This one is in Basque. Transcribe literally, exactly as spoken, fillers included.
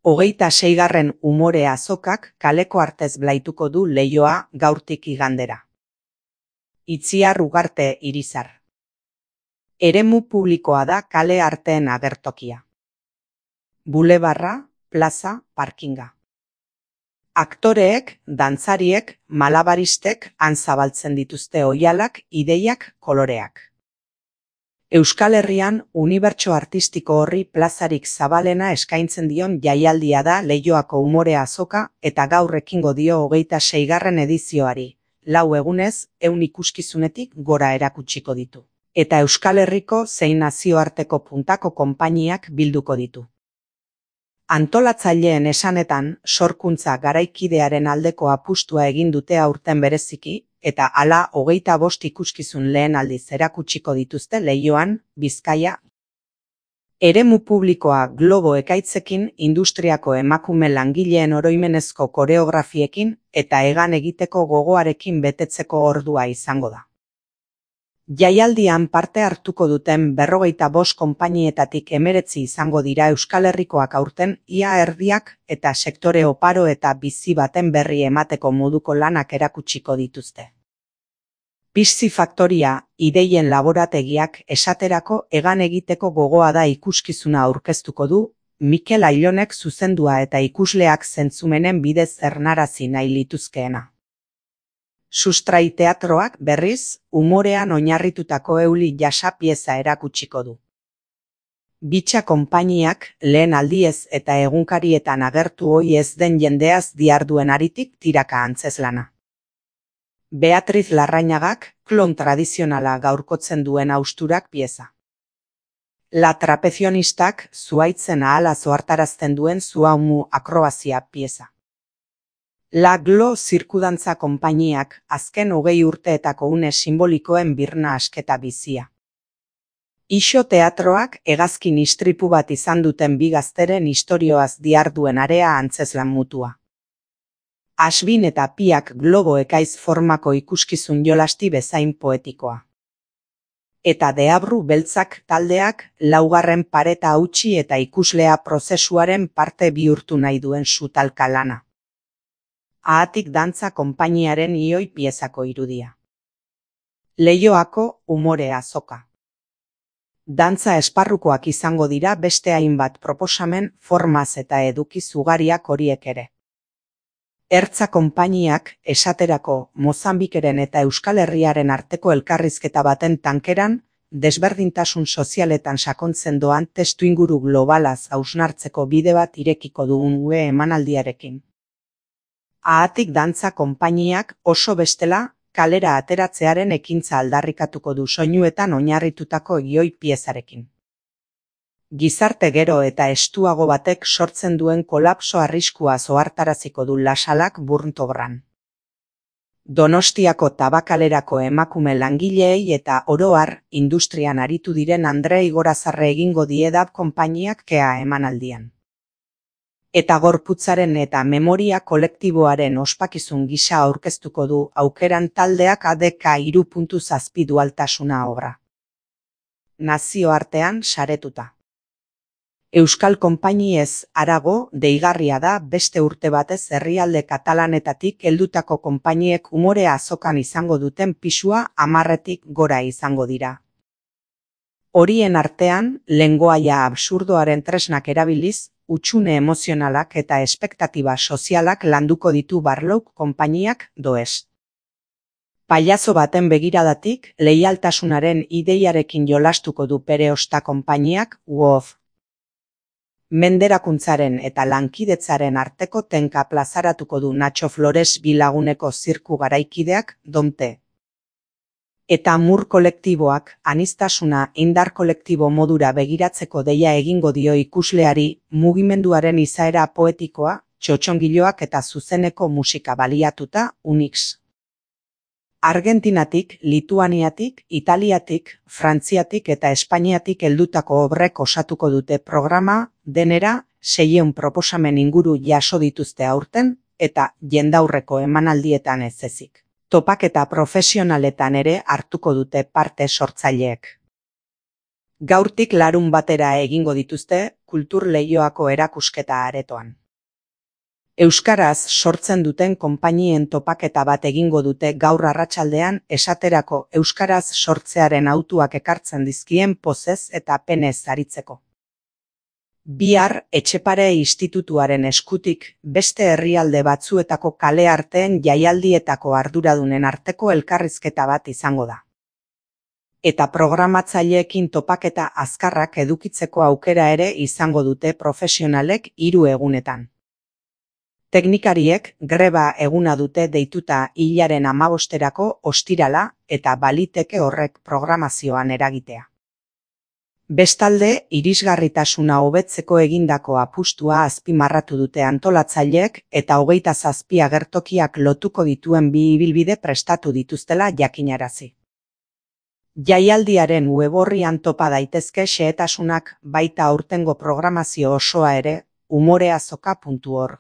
Hogeita seigarren umore azokak kaleko artez blaituko du Leioa gaurtik igandera. Itziar Ugarte Irizar. Eremu publikoa da kale arteen agertokia. Bulebarra, plaza, parkinga. Aktoreek, dantzariek, malabaristek han zabaltzen dituzte oihalak, ideiak, koloreak. Euskal Herrian unibertso artistiko horri plazarik zabalena eskaintzen dion jaialdia da Leioako umore azoka eta gaur ekingo dio hogeita seigarren edizioari, lau egunez, ehun ikuskizunetik gora erakutsiko ditu. Eta Euskal Herriko zein nazioarteko puntako konpainiak bilduko ditu. Antolatzaileen esanetan, sorkuntza garaikidearen aldeko apustua egin dute aurten bereziki, eta hala hogeita bost ikuskizun lehen aldiz erakutsiko dituzte Leioan, Bizkaia. Eremu publikoa globo ekaitzekin, industriako emakume langileen oroimenezko koreografiekin eta hegan egiteko gogoarekin betetzeko ordua izango da. Jaialdian parte hartuko duten berrogeita bost konpainietatik hemeretzi izango dira Euskal Herrikoak aurten ia erdiak eta sektore oparo eta bizi baten berri emateko moduko lanak erakutsiko dituzte. Pixi Faktoria, ideien laborategiak esaterako hegan egiteko gogoa da ikuskizuna aurkeztuko du, Mikel Ailonek zuzendua eta ikusleak zentzumenen bidez ernarazi nahi lituzkeena. Sustrai teatroak berriz, umorean oinarritutako euli jasa pieza erakutsiko du. Bitxa konpainiak lehen aldiez eta egunkarietan agertu ohi ez den jendeaz diharduen aritik tiraka antzeslana. Beatriz Larrañagak klon tradizionala gaurkotzen duen hausturak pieza. La Trapezionistak zuhaitzen ahala zohartarazten duen zuhaumu akrobazia pieza. La Glo zirkudantza konpainiak azken hogei urteetako une simbolikoen birna asketa bizia. Ixo teatroak hegazkin istripu bat izan duten bi gazteren istorioaz diharduen area antzezlan mutua. Asbin eta Piak globo ekaiz formako ikuskizun jolasti bezain poetikoa. Eta Deabru beltzak taldeak laugarren pareta hautsi eta ikuslea prozesuaren parte bihurtu nahi duen sutalka lana. Ahatik dantza konpainiaren ioi piezako irudia. Leioako umore azoka. Dantza esparrukoak izango dira beste hainbat proposamen, formaz eta edukiz ugariak horiek ere. Ertza konpainiak esaterako Mozambikeren eta Euskal Herriaren arteko elkarrizketa baten tankeran, desberdintasun sozialetan sakontzen doan testuinguru globalaz hausnartzeko bide bat irekiko dugun ue emanaldiarekin. Ahatik dantza konpainiak oso bestela kalera ateratzearen ekintza aldarrikatuko du soinuetan oinarritutako ioi piezarekin. Gizarte gero eta estuago batek sortzen duen kolapso arriskua zohartaraziko du Lasalak Burntobran. Donostiako tabakalerako emakume langileei eta oro har industrian aritu diren Andre Igorazarre egingo die dab konpainiak kea emanaldian. Eta gorputzaren eta memoria kolektiboaren ospakizun gisa aurkeztuko du aukeran taldeak A D K hiru puntu zazpi dualtasuna obra. Nazioartean saretuta. Euskal konpainiez harago deigarria da beste urte batez herrialde katalanetatik heldutako konpainiek umore azokan izango duten pisua hamarretik gora izango dira. Horien artean, lengoaia absurdoaren tresnak erabiliz, hutsune emozionalak eta espektatiba sozialak landuko ditu Barlouk konpainiak doez. Pailazo baten begiradatik, leialtasunaren ideiarekin jolastuko du Pereosta konpainiak Uof. Menderakuntzaren eta lankidetzaren arteko tenka plazaratuko du Nacho Flores bilaguneko zirku garaikideak Domte. Eta Mur kolektiboak aniztasuna indar kolektibo modura begiratzeko deia egingo dio ikusleari mugimenduaren izaera poetikoa, txotxongiloak eta zuzeneko musika baliatuta Unix. Argentinatik, Lituaniatik, Italiatik, Frantziatik eta Espainiatik heldutako obrek osatuko dute programa, denera, seiehun proposamen inguru jaso dituzte aurten, eta jendaurreko emanaldietan ez ezik. Topaketa profesionaletan ere hartuko dute parte sortzaileek. Gaurtik larun batera egingo dituzte kultur leioako erakusketa aretoan. Euskaraz sortzen duten konpainien topaketa bat egingo dute gaur arratsaldean, esaterako euskaraz sortzearen hautuak ekartzen dizkien pozez eta penez aritzeko. Bihar Etxepare Institutuaren eskutik beste herrialde batzuetako kale arteen jaialdietako arduradunen arteko elkarrizketa bat izango da. Eta programatzaileekin topaketa azkarrak edukitzeko aukera ere izango dute profesionalek hiru egunetan. Teknikariek greba eguna dute deituta hilaren hamabosterako ostirala eta baliteke horrek programazioan eragitea. Bestalde, irisgarritasuna hobetzeko egindako apustua azpimarratu dute antolatzaileek eta hogeita zazpi agertokiak lotuko dituen bi ibilbide prestatu dituztela jakinarazi. Jaialdiaren web orrian topa daitezke xehetasunak, baita aurtengo programazio osoa ere, umoreazoka puntu org.